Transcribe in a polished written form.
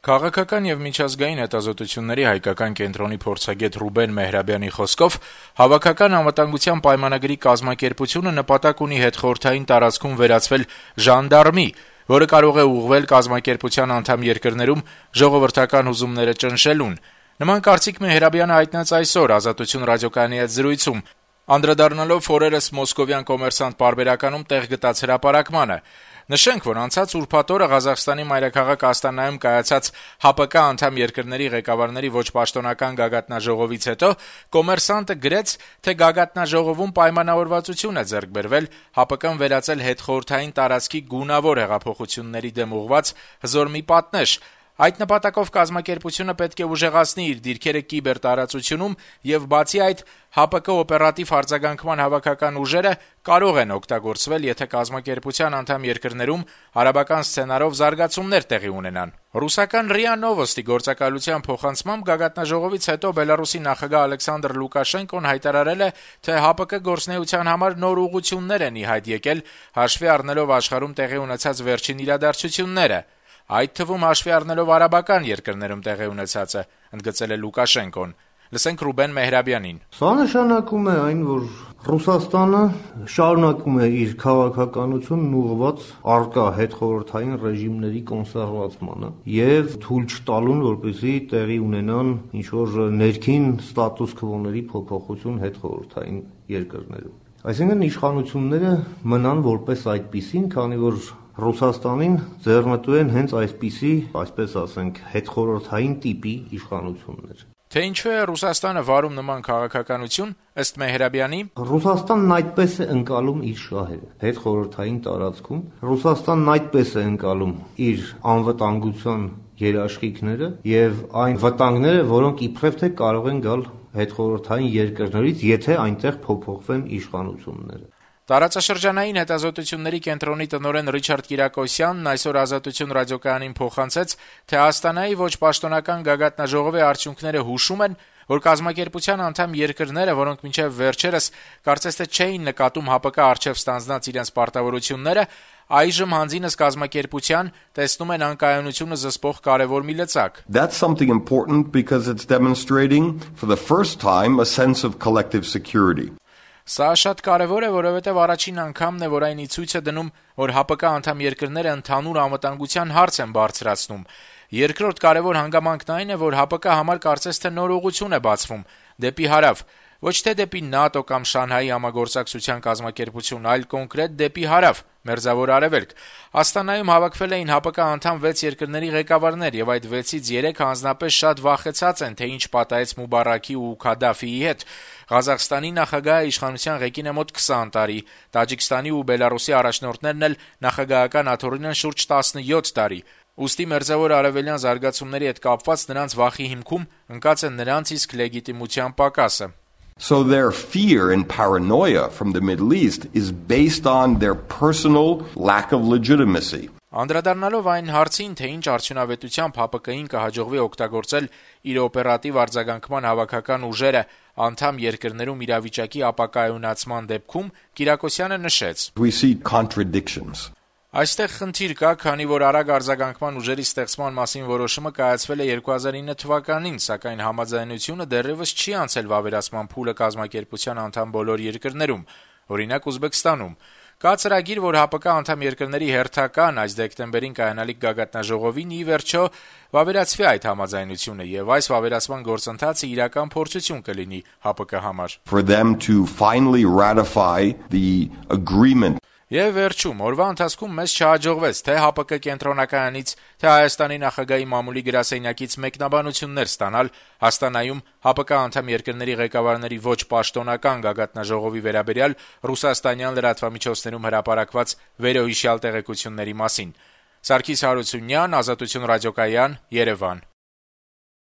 Քաղաքական եւ միջազգային հետազոտությունների հայկական կենտրոնի փորձագետ Ռուբեն Մեհրաբյանի խոսքով հավաքական անվտանգության պայմանագրի կազմակերպությունը նպատակ ունի հետխորհրդային տարածքում վերածվել ժանդարմի, որը կարող է ուղղվել կազմակերպության անդամ երկրներում ժողովրդական հուզումները ճնշելուն։ Նման կարծիք Մեհրաբյանը հայտնեց այսօր Ազատություն ռադիոկայանի հետ զրույցում, անդրադառնալով օրերս մոսկովյան «Կոմերսանտ» պարբերականում տեղ գտած հրապարակմանը։ Նշենք, որ անցած ուրբաթ օրը Ղազախստանի մայրաքաղաք Աստանայում կայացած ՀԱՊԿ անդամ երկրների ղեկավարների ոչ պաշտոնական գագաթնաժողովից հետո «Կոմերսանտը» գրեց, թե գագաթնաժողովում պայմանավորվածություն է ձեռք բերվել ՀԱՊԿ-ն վերածել հետխորհրդային տարածքի գունավոր հեղափոխությունների դեմ ուղղված հզոր մի պատնեշ։ Այդ նպատակով կազմակերպությունը պետք է ուժեղացնի իր դիրքերը կիբերտարածությունում եւ բացի այդ ՀԱՊԿ օպերատիվ արձագանքման հավաքական ուժերը կարող են օգտագործվել, եթե կազմակերպության անդամ երկրներում արաբական սցենարով զարգացումներ տեղի ունենան։ Ռուսական ՌԻԱ Նովոստի գործակալության փոխանցմամբ գագաթնաժողովից հետո Բելարուսի նախագահ Ալեքսանդր Լուկաշենկոն հայտարարել է, թե ՀԱՊԿ գործունեության համար նոր ուղղություններ են ի հայտ եկել, հաշվի առնելով աշխարհում տեղի ունեցած վերջին իրադարձությունները։ Այդ թվում հաշվի առնելով արաբական երկրներում տեղի ունեցածը, ընդգծել է Լուկաշենկոն։ Լսենք Ռուբեն Մեհրաբյանին։ Սա նշանակում է այն, որ Ռուսաստանը շարունակում է իր քաղաքականությունն ուղղված առկա հետխորհրդային ռեժիմների կոնսերվացմանը եւ թույլ չտալուն, որպեսզի տեղի ունենան ինչ-որ ներքին ստատուս քվոների փոփոխություն հետխորհրդային երկրներում։ Այսինքն իշխանությունները մնան որպես այդպիսին, քանի որ Ռուսաստանին ձեռնտու են հենց այսպիսի, այսպես ասենք, հետխորհրդային տիպի իշխանություններ։ Թե ինչու է Ռուսաստանը վարում նման քաղաքականություն, ըստ Մեհրաբյանի, Ռուսաստանն այդպես է ընկալում իր շահերը հետխորհրդային տարածքում, Ռուսաստանն այդպես է ընկալում իր անվտանգության երաշխիքները եւ այն վտանգները, որոնք իբրև թե կարող են գալ հետխորհրդային երկրներից, եթե այնտեղ փոփոխվեն իշխանությունները։ Տարածաշրջանային հետազոտությունների կենտրոնի տնօրեն Ռիչարդ Կիրակոսյանն այսօր Ազատություն ռադիոկայանին փոխանցեց, թե Աստանայի ոչ պաշտոնական գագաթնաժողովի արդյունքները հուշում են, որ կազմակերպության անդամ երկրները, որոնք մինչև վերջերս կարծես թե չէին նկատում ՀԱՊԿ առջև ստանձնած իրենց պարտավորությունները, այժմ հանձինս կազմակերպության տեսնում են անկայունությունը զսպող կարևոր մի լծակ։ That's something important because it's demonstrating for the first time a sense of collective security. Սա շատ կարևոր է, որովհետև առաջին անգամն է, որ այն ի ցույց է դնում, որ ՀԱՊԿ անդամ երկրները ընդհանուր անվտանգության հարց են բարձրացնում։ Երկրորդ կարևոր հանգամանքն այն է, որ ՀԱՊԿ համար կարծես թե նոր ուղղություն է բացվում դեպի հարավ, ոչ թե դեպի ՆԱՏՕ կամ Շանհայի համագործակցության կազմակերպություն, այլ կոնկրետ դեպի հարավ, Մերձավոր Արևելք։ Աստանայում հավաքվել էին ՀԱՊԿ անդամ 6 երկրների ղեկավարներ, եւ այդ 6-ից 3-ը անձնապես շատ վախեցած են, թե ինչ պատահեց Մուբարաքի ու Քադաֆիի հետ։ Ղազախստանի նախագահը իշխանության ղեկին է մոտ 20 տարի, Տաջիկստանի ու Բելարուսի առաջնորդներն էլ նախագահական աթոռին են շուրջ 17 տարի։ Ուստի Մերձավոր Արևելյան զարգացումների հետ կապված նրանց վախի հիմքում ընկած է նրանց իսկ լեգիտիմության պակասը։ So their fear and paranoia from the Middle East is based on their personal lack of legitimacy. Անդրադառնալով այն հարցին, թե ինչ արդյունավետությամբ ՀԱՊԿ-ին կհաջողվի օգտագործել իր օպերատիվ արձագանքման հավաքական ուժերը անդամ երկրներում իրավիճակի ապակայունացման դեպքում, Կիրակոսյանը նշեց. We see contradictions. Այստեղ խնդիր կա, քանի որ արագ արձագանքման ուժերի ստեղծման մասին որոշումը կայացվել է 2009 թվականին, սակայն համաձայնությունը դեռևս չի անցել վավերացման փուլը կազմակերպության անդամ բոլոր երկրներում, օրինակ Ուզբեկստանում։ Կա ծրագիր, որ ՀԱՊԿ անդամ երկրների հերթական այս դեկտեմբերին կայանալիք գագաթնաժողովին ի վերջո վավերացվի այդ համաձայնությունը եւ այս վավերացման գործընթացը իրական փորձություն կլինի ՀԱՊԿ համար։ For them to finally ratify the agreement. Եվ վերջում, օրվա ընթացքում մեզ չհաջողվեց թե ՀԱՊԿ կենտրոնակայանից, թե Հայաստանի նախագահի մամուլի գրասենյակից մեկնաբանություններ ստանալ Աստանայում ՀԱՊԿ անդամ երկրների ղեկավարների ոչ պաշտոնական գագաթնաժողովի վերաբերյալ ռուսաստանյան լրատվամիջոցներում հրապարակված վերոհիշյալ տեղեկությունների մասին։ Սարգիս Հարությունյան, Ազատություն ռադիոկայան, Երևան։